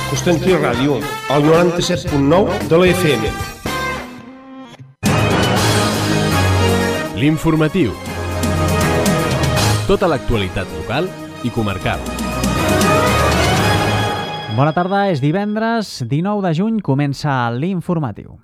Constantí Ràdio, al 97.9 de la FM. L'informatiu. Tota l'actualitat local i comarcal. Bona tarda, és divendres 19 de juny, comença l'informatiu.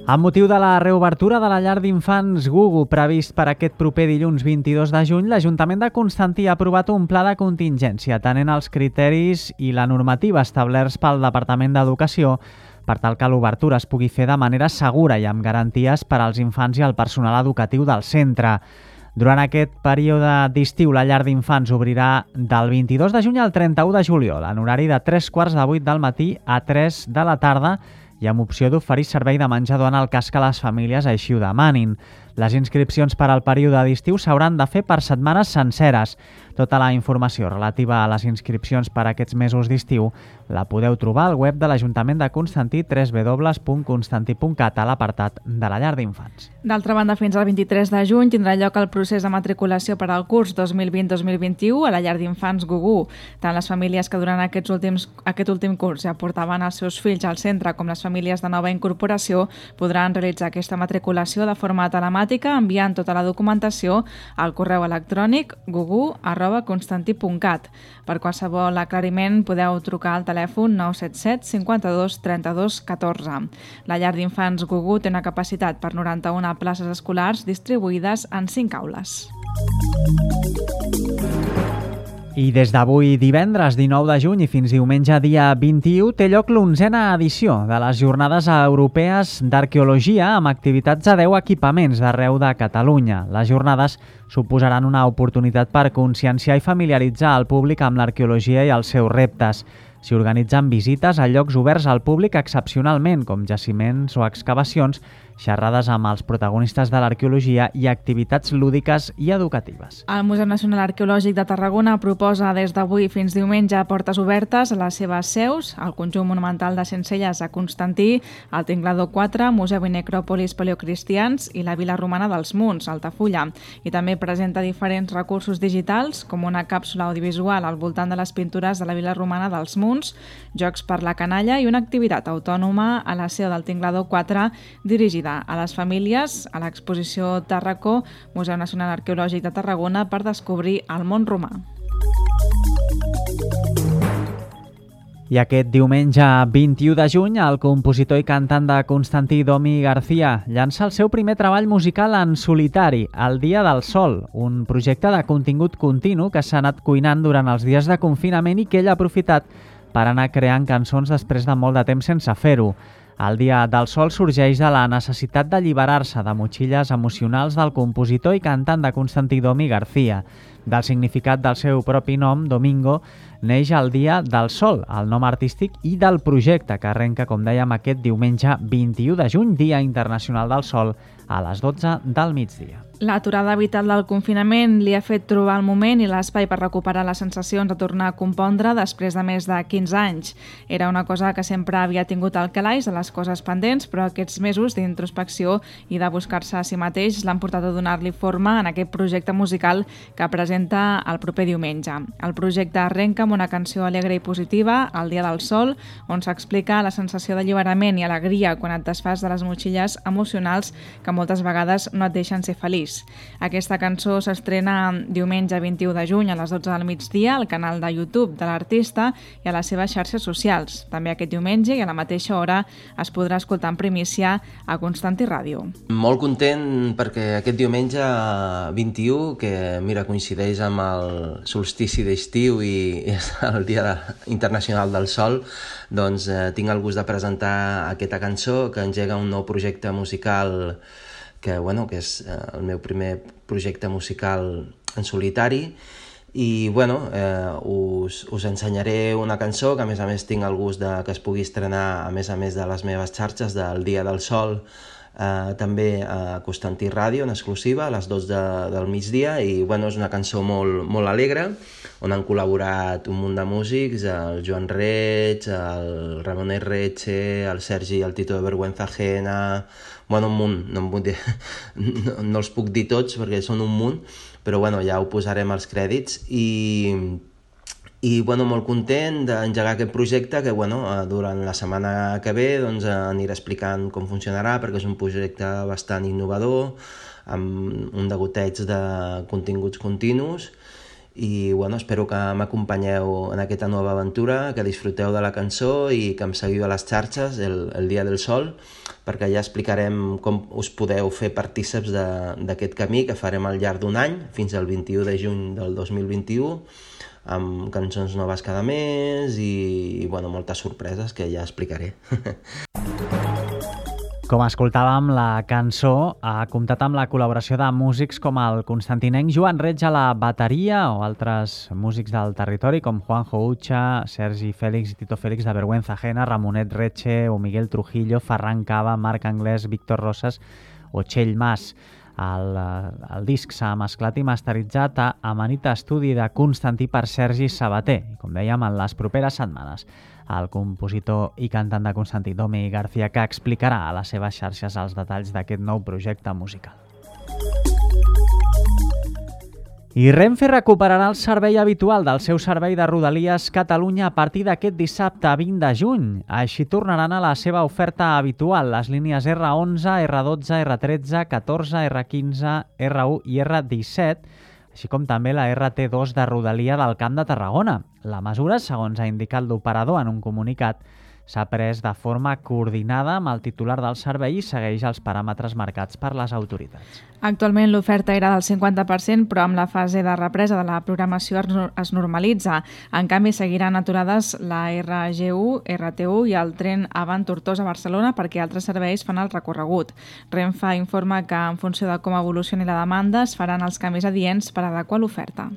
Amb motiu de la reobertura de la llar d'infants Gugu previst per aquest proper dilluns 22 de juny, l'Ajuntament de Constantí ha aprovat un pla de contingència atenent als criteris i la normativa establerts pel Departament d'Educació per tal que l'obertura es pugui fer de manera segura i amb garanties per als infants i al personal educatiu del centre. Durant aquest període d'estiu, la llar d'infants obrirà del 22 de juny al 31 de juliol, en horari de 3:15 del matí a 3 de la tarda, i amb opció d'oferir servei de menjador en el cas que les famílies així ho demanin. Les inscripcions per al període d'estiu s'hauran de fer per setmanes senceres. Tota la informació relativa a les inscripcions per a aquests mesos d'estiu la podeu trobar al web de l'Ajuntament de Constantí, www.constantí.cat, a l'apartat de la llar d'infants. D'altra banda, fins al 23 de juny tindrà lloc el procés de matriculació per al curs 2020-2021 a la llar d'infants Gugu. Tant les famílies que durant aquest últim curs ja portaven els seus fills al centre com les famílies de nova incorporació podran realitzar aquesta matriculació de forma telemàtica enviant tota la documentació al correu electrònic gugu@constantí.cat. Per qualsevol aclariment podeu trucar al telèfon 977 52 32 14. La llar d'infants Gugu té una capacitat per 91 places escolars distribuïdes en 5 aules. I des d'avui divendres 19 de juny i fins diumenge dia 21 té lloc l'11a edició de les Jornades Europees d'Arqueologia amb activitats a 10 equipaments d'arreu de Catalunya. Les jornades suposaran una oportunitat per conscienciar i familiaritzar el públic amb l'arqueologia i els seus reptes. S'hi organitzen visites a llocs oberts al públic excepcionalment, com jaciments o excavacions, xerrades amb els protagonistes de l'arqueologia i activitats lúdiques i educatives. El Museu Nacional Arqueològic de Tarragona proposa des d'avui fins diumenge portes obertes a les seves seus, al Conjunt Monumental de Sencelles a Constantí, al Tinglador 4, Museu i Necròpolis Paleocristians i la Vila Romana dels Munts, a Altafulla. I també presenta diferents recursos digitals, com una càpsula audiovisual al voltant de les pintures de la Vila Romana dels Munts, jocs per la canalla i una activitat autònoma a la seu del Tinglador 4 dirigida a les famílies a l'exposició Tarracó, Museu Nacional Arqueològic de Tarragona, per descobrir el món romà. I aquest diumenge 21 de juny, el compositor i cantant de Constantí, Domi García, llança el seu primer treball musical en solitari, El dia del sol, un projecte de contingut continu que s'ha anat cuinant durant els dies de confinament i que ell ha aprofitat per anar creant cançons després de molt de temps sense fer-ho. El dia del sol sorgeix de la necessitat d'alliberar-se de motxilles emocionals del compositor i cantant de Constantí, Domi García. Del significat del seu propi nom, Domingo, neix el dia del sol, el nom artístic, i del projecte que arrenca, com dèiem, aquest diumenge 21 de juny, Dia Internacional del Sol, a les 12 del migdia. L'aturada vital del confinament li ha fet trobar el moment i l'espai per recuperar les sensacions de tornar a compondre després de més de 15 anys. Era una cosa que sempre havia tingut al calaix de les coses pendents, però aquests mesos d'introspecció i de buscar-se a si mateix l'han portat a donar-li forma en aquest projecte musical que presenta el proper diumenge. El projecte arrenca amb una cançó alegre i positiva, El dia del sol, on s'explica la sensació d'alliberament i alegria quan et desfas de les motxilles emocionals que moltes vegades no et deixen ser feliç. Aquesta cançó s'estrena diumenge 21 de juny a les 12 del migdia al canal de YouTube de l'artista i a les seves xarxes socials. També aquest diumenge i a la mateixa hora es podrà escoltar en primícia a Constantí Ràdio. Molt content perquè aquest diumenge 21, que mira, coincideix amb el solstici d'estiu i és el Dia Internacional del Sol, doncs tinc el gust de presentar aquesta cançó que engega un nou projecte musical que és el meu primer projecte musical en solitari i us ensenyaré una cançó que a més tinc el gust de que es pugui estrenar a més de les meves xarxes del Dia del Sol també a Constantí Ràdio, en exclusiva, a les 2 del migdia, i és una cançó molt alegre, on han col·laborat un munt de músics, el Joan Reig, el Ramon Erreche, el Sergi i el Tito de Vergüenza Ajena, un munt, no els puc dir tots perquè són un munt, però ja ho posarem als crèdits, i molt content d'engegar aquest projecte que durant la setmana que ve aniré explicant com funcionarà, perquè és un projecte bastant innovador, amb un degoteig de continguts continus, i espero que m'acompanyeu en aquesta nova aventura, que disfruteu de la cançó i que em seguiu a les xarxes el Dia del Sol, perquè ja explicarem com us podeu fer partíceps d'aquest camí que farem al llarg d'un any, fins al 21 de juny del 2021, amb cançons noves cada mes i moltes sorpreses que ja explicaré. Com escoltàvem, la cançó ha comptat amb la col·laboració de músics com el constantinenc Joan Reig a la bateria o altres músics del territori com Juanjo Ucha, Sergi Fèlix i Tito Fèlix de Vergüenza Ajena, Ramonet Reche o Miguel Trujillo, Ferran Cava, Marc Anglès, Víctor Rosas o Txell Mas. El disc s'ha mesclat i masteritzat a Amanita Estudi de Constantí per Sergi Sabater. I com dèiem, en les properes setmanes, el compositor i cantant de Constantí, Domi García, que explicarà a les seves xarxes els detalls d'aquest nou projecte musical. I Renfe recuperarà el servei habitual del seu servei de Rodalies Catalunya a partir d'aquest dissabte 20 de juny. Així tornaran a la seva oferta habitual les línies R11, R12, R13, 14, R15, R1 i R17, així com també la RT2 de Rodalia del Camp de Tarragona. La mesura, segons ha indicat l'operador en un comunicat, s'ha pres de forma coordinada amb el titular del servei i segueix els paràmetres marcats per les autoritats. Actualment l'oferta era del 50%, però amb la fase de represa de la programació es normalitza. En canvi, seguiran aturades la RG1, RT1 i el tren Avant Tortosa a Barcelona perquè altres serveis fan el recorregut. Renfe informa que en funció de com evolucioni la demanda es faran els canvis adients per adequar l'oferta.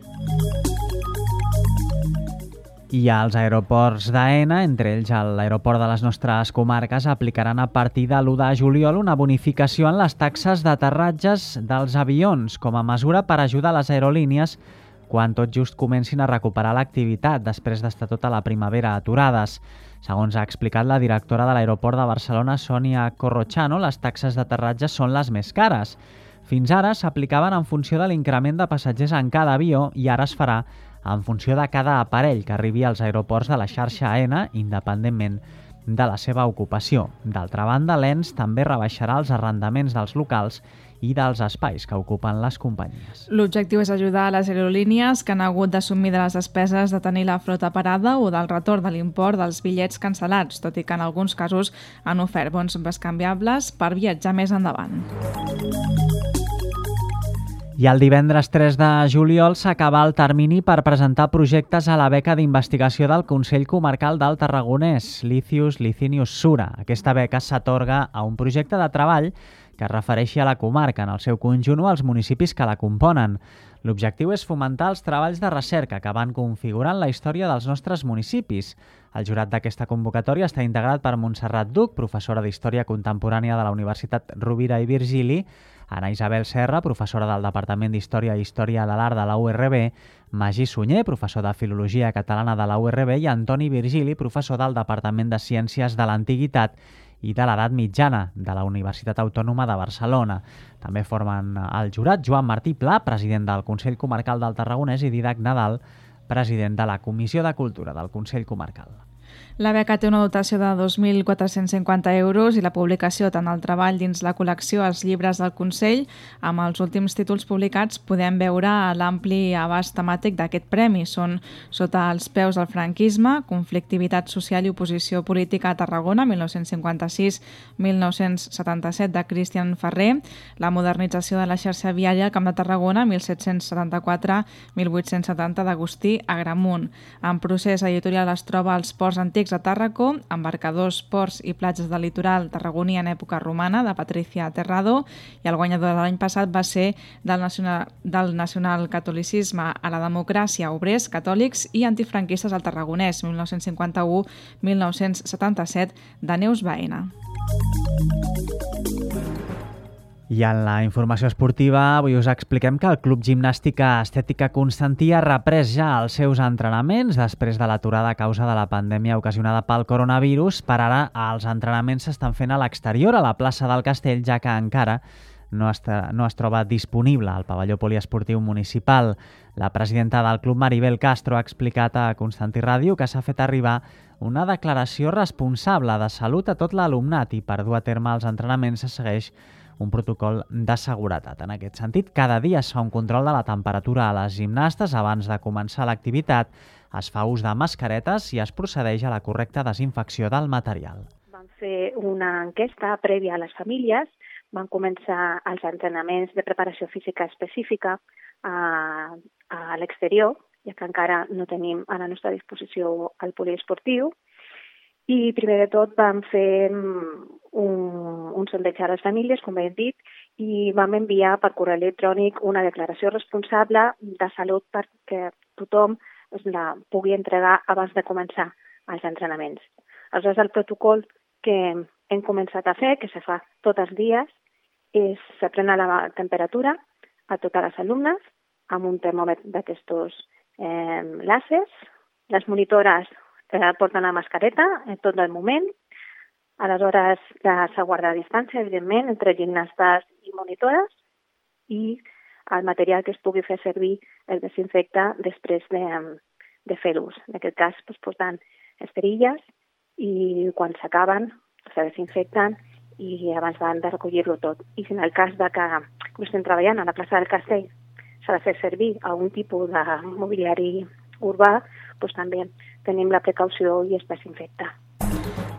I els aeroports d'AENA, entre ells l'aeroport de les nostres comarques, aplicaran a partir de l'1 de juliol una bonificació en les taxes d'aterratges dels avions com a mesura per ajudar les aerolínies quan tot just comencin a recuperar l'activitat després d'estar tota la primavera aturades. Segons ha explicat la directora de l'aeroport de Barcelona, Sònia Corrochano, les taxes d'aterratge són les més cares. Fins ara s'aplicaven en funció de l'increment de passatgers en cada avió i ara es farà en funció de cada aparell que arribi als aeroports de la xarxa AENA, independentment de la seva ocupació. D'altra banda, l'ENS també rebaixarà els arrendaments dels locals i dels espais que ocupen les companyies. L'objectiu és ajudar a les aerolínies que han hagut d'assumir de les despeses de tenir la flota parada o del retorn de l'import dels bitllets cancel·lats, tot i que en alguns casos han ofert bons bescanviables per viatjar més endavant. I el divendres 3 de juliol s'acaba el termini per presentar projectes a la beca d'investigació del Consell Comarcal del Tarragonès, Licius Licinius Sura. Aquesta beca s'atorga a un projecte de treball que es refereixi a la comarca, en el seu conjunt o als municipis que la componen. L'objectiu és fomentar els treballs de recerca que van configurant la història dels nostres municipis. El jurat d'aquesta convocatòria està integrat per Montserrat Duc, professora d'Història Contemporània de la Universitat Rovira i Virgili, Ana Isabel Serra, professora del Departament d'Història i Història de l'Art de la URB, Magí Sunyer, professor de Filologia Catalana de la URB i Antoni Virgili, professor del Departament de Ciències de l'Antiguitat i de l'Edat Mitjana de la Universitat Autònoma de Barcelona. També formen el jurat Joan Martí Pla, president del Consell Comarcal del Tarragonès, i Didac Nadal, president de la Comissió de Cultura del Consell Comarcal. La beca té una dotació de 2.450 euros i la publicació tant el treball dins la col·lecció Els llibres del Consell. Amb els últims títols publicats podem veure l'ampli abast temàtic d'aquest premi. Són Sota els peus del franquisme, Conflictivitat social i oposició política a Tarragona, 1956-1977, de Cristian Ferrer, La modernització de la xarxa viària al Camp de Tarragona, 1774-1870, d'Agustí Agramunt. En procés editorial es troba Els ports antics a Tàrraco, Embarcadors, ports i platges del litoral tarragoní en època romana, de Patricia Terrado, i el guanyador de l'any passat va ser del nacionalcatolicisme a la democràcia, obrers, catòlics i antifranquistes al Tarragonès, 1951-1977, de Neus Baena. I en la informació esportiva avui us expliquem que el Club Gimnàstica Estètica Constantí ha reprès ja els seus entrenaments després de l'aturada a causa de la pandèmia ocasionada pel coronavirus. Per ara, els entrenaments s'estan fent a l'exterior, a la plaça del Castell, ja que encara no es troba disponible al pavelló poliesportiu municipal. La presidenta del club, Maribel Castro, ha explicat a Constantí Ràdio que s'ha fet arribar una declaració responsable de salut a tot l'alumnat i per dur a terme els entrenaments se segueix un protocol de seguretat. En aquest sentit, cada dia es fa un control de la temperatura a les gimnastes abans de començar l'activitat, es fa ús de mascaretes i es procedeix a la correcta desinfecció del material. Vam fer una enquesta prèvia a les famílies, van començar els entrenaments de preparació física específica a l'exterior, ja que encara no tenim a la nostra disposició el poliesportiu, i primer de tot vam fer un sondeig a les famílies, com he dit, i vam enviar per correu electrònic una declaració responsable de salut perquè tothom la pugui entregar abans de començar els entrenaments. Aleshores, el protocol que hem començat a fer, que se fa tots els dies, és se pren la temperatura a totes les alumnes amb un termòmetre d'aquestos làsers. Les monitores porten la mascareta en tot el moment. Aleshores, s'ha guardat distància, evidentment, entre gimnastes i monitores, i el material que es pugui fer servir es desinfecta després de fer ús. En aquest cas, portant esterilles i quan s'acaben se desinfecten i abans de recollir-lo tot. I si en el cas que estem treballant a la plaça del Castell s'ha de fer servir algun tipus de mobiliari urbà, també tenim la precaució i es desinfecta.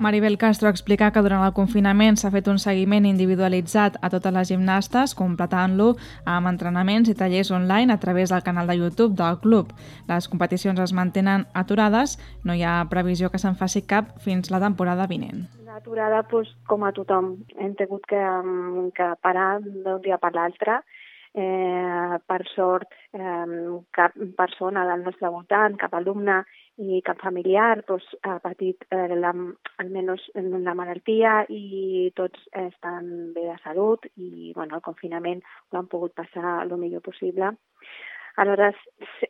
Maribel Castro explica que durant el confinament s'ha fet un seguiment individualitzat a totes les gimnastes, completant-lo amb entrenaments i tallers online a través del canal de YouTube del club. Les competicions es mantenen aturades, no hi ha previsió que se'n faci cap fins la temporada vinent. L'aturada, com a tothom, hem tingut que parar d'un dia per l'altre. Per sort, cap persona del nostre voltant, cap alumne i cap familiar ha patit almenys la malaltia i tots estan bé de salut i el confinament ho han pogut passar el millor possible. Aleshores,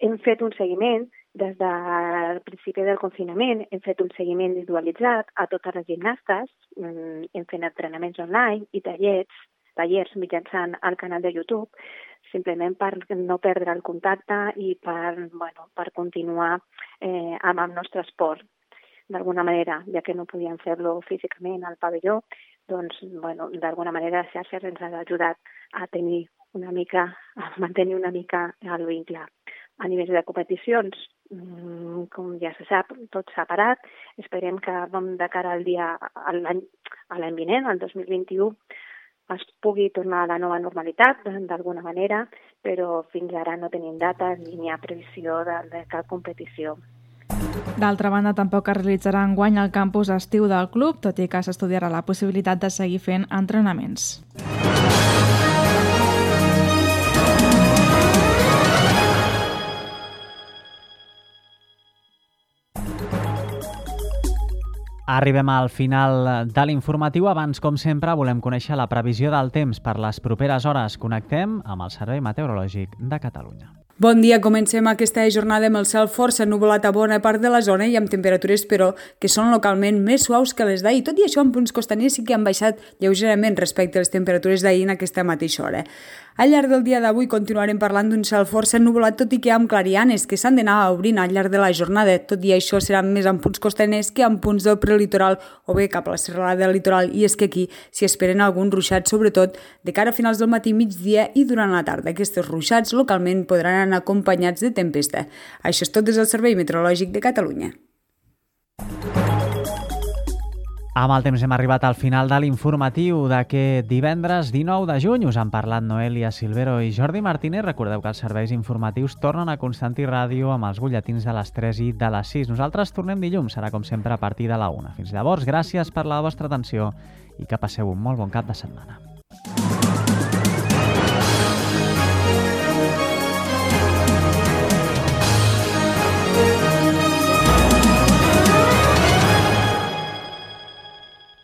hem fet un seguiment des del principi del confinament, hem fet un seguiment individualitzat a totes les gimnastes, hem fet entrenaments online i tallers mitjançant el canal de YouTube, simplement per no perdre el contacte i per continuar amb el nostre esport. D'alguna manera, ja que no podíem fer-lo físicament al pavelló, d'alguna manera les xarxes ens han ajudat a mantenir una mica el vincle. A nivell de competicions, com ja se sap, tot s'ha parat. Esperem que de cara a l'any vinent, el 2021, es pugui tornar a la nova normalitat, d'alguna manera, però fins ara no tenim data ni hi ha previsió de cap competició. D'altra banda, tampoc es realitzarà enguany el campus estiu del club, tot i que s'estudiarà la possibilitat de seguir fent entrenaments. Arribem al final de l'informatiu. Abans, com sempre, volem conèixer la previsió del temps per les properes hores. Connectem amb el Servei Meteorològic de Catalunya. Bon dia, comencem aquesta jornada amb el cel força ennuvolat a bona part de la zona i amb temperatures, però, que són localment més suaus que les d'ahir. Tot i això, en punts costaners sí que han baixat lleugerament respecte a les temperatures d'ahir en aquesta mateixa hora. Al llarg del dia d'avui continuarem parlant d'un cel força ennuvolat, tot i que amb clarianes que s'han d'anar obrint al llarg de la jornada. Tot i això serà més en punts costaners que en punts del prelitoral o bé cap a la serralada del litoral, i és que aquí s'hi esperen alguns ruixats, sobretot de cara a finals del matí, migdia i durant la tarda. Aquests ruixats localment podran anar acompanyats de tempesta. Això és tot des del Servei Meteorològic de Catalunya. Amb el temps hem arribat al final de l'informatiu d'aquest divendres 19 de juny. Us han parlat Noelia Silvero i Jordi Martínez. Recordeu que els serveis informatius tornen a Constantí Ràdio amb els butlletins de les 3 i de les 6. Nosaltres tornem dilluns, serà com sempre a partir de la 1. Fins llavors, gràcies per la vostra atenció i que passeu un molt bon cap de setmana.